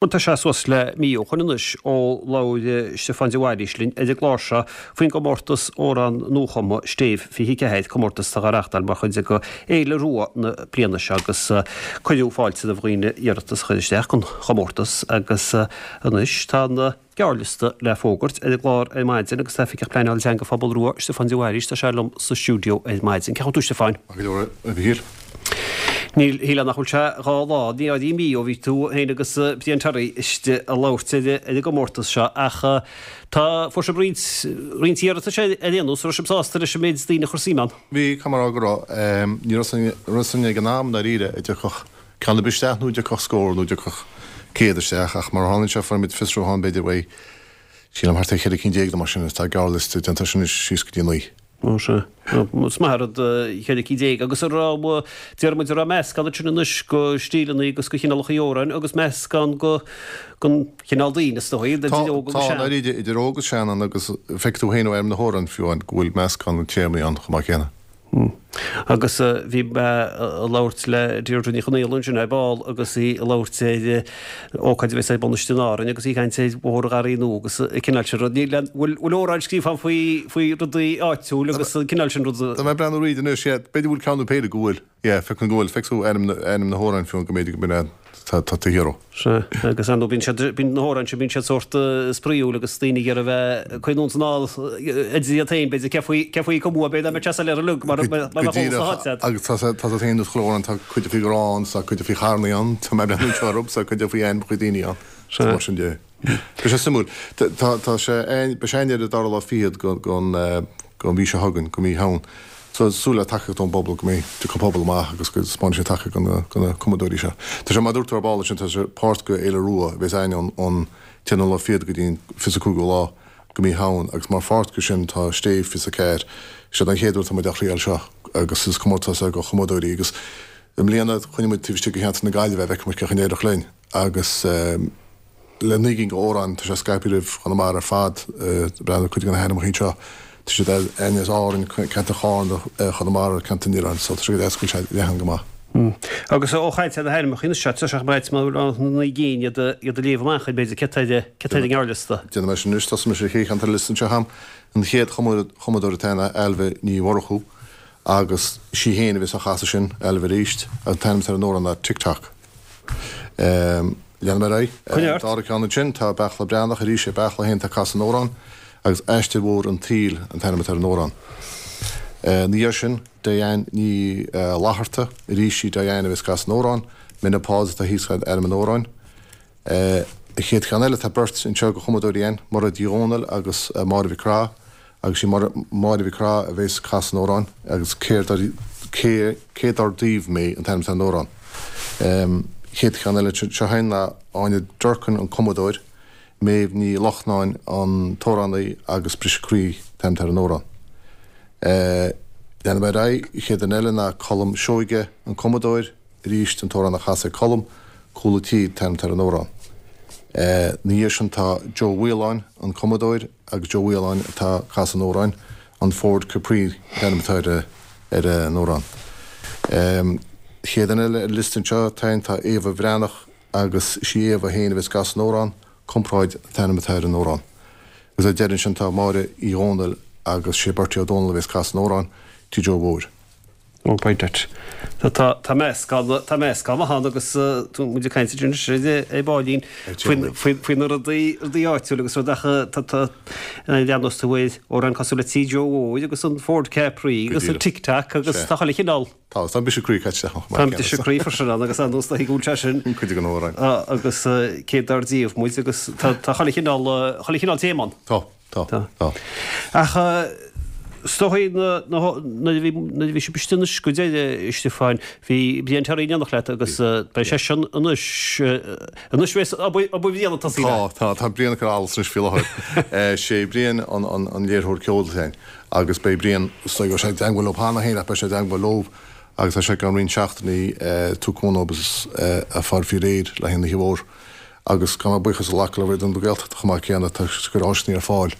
Bhuel, tá sé suas le mí ó shoin anois ó labhair Stiofán de Bhailís linn ar an gclár seo faoin gcomórtas amhrán nuachumtha Stéibh 24, comórtas atá á reáchtáil mar chuid de Fhéile Rua na bliana seo agus cuireadh fáilte roimh dhaoine iarratas a chur isteach don chomórtas agus anois tá an gearrliosta le fógairt ar an gclár ar maidin agus tá Oifigeach Pleanála Teanga Phobal Rua, Stiofán de Bhailís, tá sé liom sa stiúideo ar maidin. Cén chaoi a bhfuil tú, Stiofáin? Maith go leor, a Mhichíl. Níl, shílfeá nach bhfuil sé 2 lá, ní áirím mí ó bhí tú féin agus Brian Terry istigh ag labhairt ar an gcomórtas seo ach tá, fuair sibh roinnt, roinnt iarratais ar aon nós, raibh sibh sásta leis an méid daoine a chuir suim ann? Bhí, caithfidh mé a rá go raibh. Ní raibh a fhios againn ag an am, ndáiríre, an dtiocfadh ceann ar bith isteach nó an dtiocfadh scór nó an dtiocfadh 100 isteach ach mar a tharlaíonn sé fuair muid fiosrúchán b'fhéidir uaidh, sílim thart ar 14 cinn nó mar sin agus tá gearrliosta déanta anois síos go dtí 9. Ó sea. Is maith an rud 14 cinn agus an raibh, déarfaidh muid, an raibh meascán ansin anois de stíleanna agus de chineálacha amhráin agus meascán de, den chineál daoine is dóigh, idir óg agus sean. Tá, ndáiríre, idir óg agus sean ann agus feicfidh tú féin ó ainm na hamhrán fiú amháin go bhfuil meascán téamaí ann chomh maith céanna. Agus bhí mé ag labhairt le Deirdre Ní Chonaola ansin ar ball agus í ag labhairt ar ócáid a bheas ar bun istigh in Árainn agus í ag caint ar Bhóthar an Gharraí Nua agus an cineál sin rud. Níl aon, bhfuil, bhfuil amhráin scríofa ann faoi, faoi rudaí áitiúil agus an cineál sin ruda? Tá mé ag breathnú thríd anois, yeah, b'fhéidir go bhfuil ceann nó péire go bhfuil, yeah, feicim go bhfuil, feicfidh tú ainm na, ainm na hamhráin fiú go mb'fhéidir go mb'in tá, tá tú thiar. Sea, agus ar ndóigh bíonn siad, bíonn na hamhráin sin, bíonn siad sórt spraíúil agus daoine ag iarraidh a bheith ag cuimhniú ann anall idir iad féin, b'fhéidir, cé faoi, cé faoi a cumadh é, b'fhéidir, dá mbeadh sé soiléir uilig mar, mar a bheadh eolas na háite agat. Agus tá sé, tá sé féin níos clóir ann, tá cuid faoi ghrán, tá cuid faoi charnaí ann, tá mé ag breathnú anseo orthu, tá cuid faoi ainmneacha daoine ann, Sea. mar sin de. Beidh sé suimiúil. Tá, tá sé, beidh sé againn ar an dara lá fichead den, den mhí seo chugainn, de mhí Shamhain. So, súil le tacaíocht ón bpobal go mbeidh, tiocfaidh an pobal amach agus go spáinfidh sé tacaíocht do na, do na cumadóirí seo. Tá sé, mar a dúirt tú ar ball ansin, tá sé páirt de Fhéile Rua a bheas againn ón, ón t-aonú lá fichead go dtí an 25ú lá de mhí Shamhain agus mar pháirt de sin tá Stéibh 24. Seo an chéad uair atá muid á thriail seo agus is comórtas é do chumadóirí agus i mbliana choinnigh muid taobh istigh de cheantar na Gaillimhe, feicfidh muid cén chaoi a n-éireoidh linn agus. Le 9 gcinn d'amhráin, tá sé scaipthe roimh Chonamara ar fad, breathnaigh cuid de na hainmneacha anseo, tá siad as Árainn, ceantar Charna, Chonamara, ceantar an Oileáin, so tá sé go deas go bhfuil sé leathan go maith. Agus ó chaint ar na hainmneacha anois, tá sé chomh maith na 9 gcinn iad a léamh amach, b'fhéidir, cé atá ar an ngearrliosta? Déanfaidh mé sin anois, tosóidh mise ar an chéad cheann atá ar an liosta anseo agam. An chéad chumadóir atá ann ná Ailbhe Ní Mhurchú agus sí féin a bheas á chasadh sin, Ailbhe arís, an t-ainm atá ar an amhrán ná Tick Tock. Leanfaidh mé ar aghaidh. Coinnigh ort. Dara ceann ansin, tá Beartla Breathnach arís, é Beartla féin atá ag casadh an amhráin, agus Aistear Mhór an tSaoil an t-ainm atá ar an amhrán. Ina dhiaidh sin, Diane Ní Fhlatharta, arís í Diane a bheas ag casadh an amhráin, Menopause atá thíos ar ainm an amhráin. An chéad cheann eile, tá beirt anseo de chumadóirí againn, Mairéad Uí Dhomhnaill agus Máire Mhic Craith, Agus sí Máire Mhic Craith a bheas ag casadh an amhráin agus céard ar cé cé dár díobh mé an t-ainm atá ar an amhrán. Chéad cheann eile seo againn ná Áine Durkin an cumadóir, Méabh Ní Lochnáin an t-amhránaí agus Briseadh Croí an t-ainm atá ar an amhrán. Leanfaidh mé ar aghaidh, chéad duine eile ná Colm Seoige an cumadóir, Arís an t-amhrán á chasadh ag Colm, Cúl an Tí an t-ainm atá ar an amhrán. Ina dhiaidh sin tá Joe Mhaoláin, an cumadóir, agus Joe Mhaoláin atá ag casadh an amhráin, An Ford Capri an t-ainm atá ar an amhrán. Chéad duine eile ar an liosta anseo atá ann tá Éabha Bhreathnach agus is í Éabha féin a bheas ag casadh an amhráin, Comparáid an t-ainm atá ar an amhrán. Agus ar deireadh ansin tá Máire Uí Dhónaill agus sé Bertie Ó Dónaill a bheas ag casadh an amhráin, Tigh Joe Mhóir. Ó, beidh duit. Tá, tá meascán, tá meascán maith ann agus tá muid ag caint anois ar baillín faoi, faoi na rudaí, rudaí áitiúil agus rud ach tá, tá, lean tú ar amhrán cosúil le Tigh Joe Mhóir agus an Ford Capri agus an Tic Tac agus tá chuile chineál. Tá, tá an briseadh croí caite isteach ann. Tá an briseadh croí freisin ann agus ar nós go bhfuil sé sin. Cuid den amhrán. Agus cé dár díobh muid agus tá, tá chuile chineál, chuile chineál téama ann. Tá. Tá. Tá. Ach is dóigh nuair a bhí nuair a bhí sibh istigh anois go deireadh, a Stiofáin, bhí Brian Terry in éineacht leat agus beidh seisean anois anois bheas obair obair Bhriain ag tosaí Tá, tá, tá Brian ag cur allas anois faoi láthair. Sé Brian an an an léiritheoir ceoil againn agus beidh Brian, is dóigh go bhfuil sé i dteangmháil leo cheana féin ach beidh sé i dteangmháil leo agus tá sé i gceann roinnt seachtainí tabhairt cúnamh agus a fáil faoi réir le haghaidh an oíche mhór. Agus caithfidh mé buíochas a ghlacadh le Raidió na Gaeltachta chomh maith céanna, tá siad ag cur áiseanna ar fáil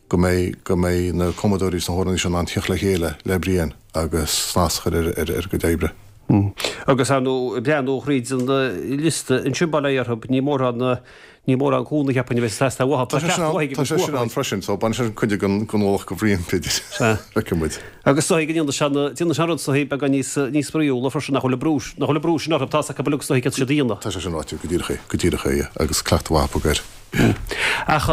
go mbeidh, go mbeidh na cumadóirí is na hamhránaithe seo in ann tíocht le chéile le Brian agus snas a chur ar a gcuid oibre. Agus ar ndóigh, breathnú thríd an liosta ansin, bail ó Dhia orthu, ní mórán, ní mórán cúnamh cheapfainn a bheas ag teastáil uathu. Tá cleachtadh mhaith ag Tá sé sin ann freisin, so baineann sé sin cuid den ualach go Bhrian, b'fhéidir. Sea. Feicfidh muid. Agus is dóigh go ndéanfaidh sé an, déanfaidh sé an rud is dóigh beagán níos, níos spraíúla freisin, nach bhfuil an brú, nach bhfuil an brú sin orthu, tá's acu uilig is dóigh céard tá siad a dhéanamh. Tá sé sin ráite, go díreach é, go díreach é, yeah, agus cleachtadh mhaith acu air. Ach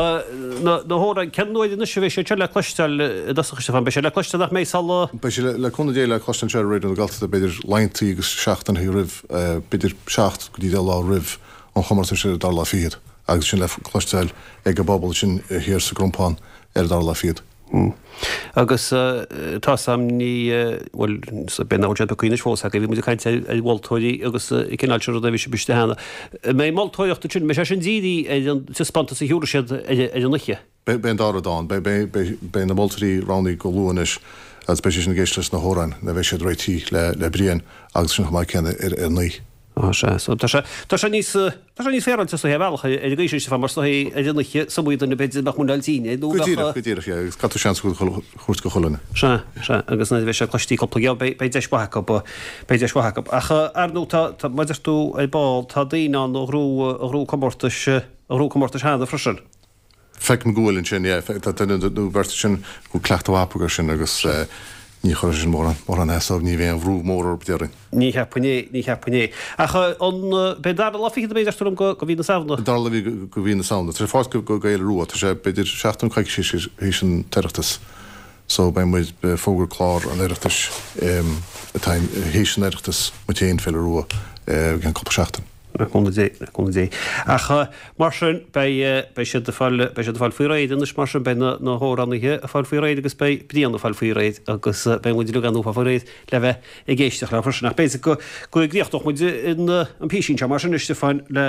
na hamhráin, cén uair anois a bheidh siad seo le cloisteáil i dtosach, a Stiofáin? Beidh sé le cloisteáil nach mbeidh sula. Beidh sé le cúnamh Dé le cloisteáil anseo ar Raidió na Gaeltachta b'fhéidir laethanta agus seachtainí roimh, b'fhéidir 7 go dtí 10 lá roimh an chomórtas ar an dara lá fichead agus sin le cloisteáil ag an bpobal ansin thiar sa gCrompán ar an dara lá fichead. Agus tá's a'm ní, bhuel, b'fhéidir nach bhfuil siad pioctha anois fós agaibh, bhí muid ag caint ar mholtóirí agus an cineál sin ruda a bhí sibh istigh cheana. An mbeidh moltóireacht ansin, an mbeidh sé sin dírithe ar an taispeántas a thiúrfaidh siad ar an oíche? Beidh an dá rud ann. Beidh na moltóirí roghnaithe go luath anois agus beidh siad sin ag éisteacht leis na hamhráin nuair a bheidh siad réitithe le Brian agus sin chomh maith céanna ar an oíche. Á, sea. So, tá sé, tá sé níos, tá sé níos féaráilte is dóiche ar bhealach ar an gcaoi sin, Stiofán, mar is dóiche ar an oíche is iomaí duine b'fhéidir a mbeadh muineál tinn air nó Go díreach, go díreach, yeah, agus caithfidh tú seans a thabhairt go chuile dhuine. Sea, sea, agus nuair a bheidh sé cloistí cúpla geábh, beidh, beidh deis mhaith acu, beidh deis mhaith acu. Ach, ar ndóigh, tá, tá, mar a deir tú ar ball, tá daoine ann a ghnóthaigh, a ghnóthaigh comórtais, a ghnóthaigh comórtais cheana freisin. Feicim go bhfuil ansin, yeah. Tá duine nó beirt ansin go bhfuil cleachtadh mhaith acu air sin agus ní chuirfidh sin mórán, mórán easa orthu, ní bheidh aon bhrú mór orthu, déarfainn. Ní cheapfainn é, ní cheapfainn é. Ach an, b'é an dara lá fichead ab é a deir tú liom go, go mhí na Samhna? An dara lá go mhí na Samhna. Tá sé fáilte go, go Fhéile Rua. Tá sé b'fhéidir seachtain nó coicís théis an tOireachtas. So beidh muid, beidh fógra clár an Oireachtais atá théis an Oireachtas, muid féin, Féile Rua, i gceann cúpla seachtain. Le cúnamh Dé, le cúnamh Dé. Ach mar sin, beidh, beidh siad ag fáil, beidh siad ag fáil faoi réir anois mar sin, beidh na, na hamhránaithe ag fáil faoi réir agus beidh Brian ag fáil faoi réir agus beidh muid uilig ar ndóigh ag fáil faoi réir le bheith ag éisteacht leo freisin. Ach b'fhéidir go, go gcríochnódh muid an, an písín seo mar sin, a Stiofáin, le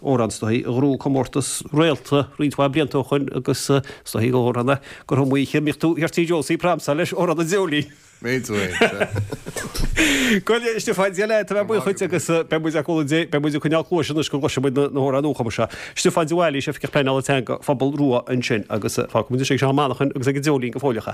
amhrán is dóigh a ghnóthaigh comórtas Réalta roinnt mhaith blianta ó shoin agus is dóigh gur amhrán é gur iomaí oíche a mbíodh tú thiar tí Josie ag pramsáil leis, amhrán an Dreoilín. Méid tú é, sea. Go a Stiofáin, Dia leat, tá mé buíoch dhuit agus beidh muid le cúnamh Dé, beidh muid ag coinneáil cluaise anois go gcloisfidh muid na hamhráin nuachumtha seo. Stiofán de Bhailís, Oifigeach Pleanála Teanga, Phobal Rua ansin agus fágfaidh muid anois ag Seán Ó Manacháin agus ag an Dreoilín go fóilleach é.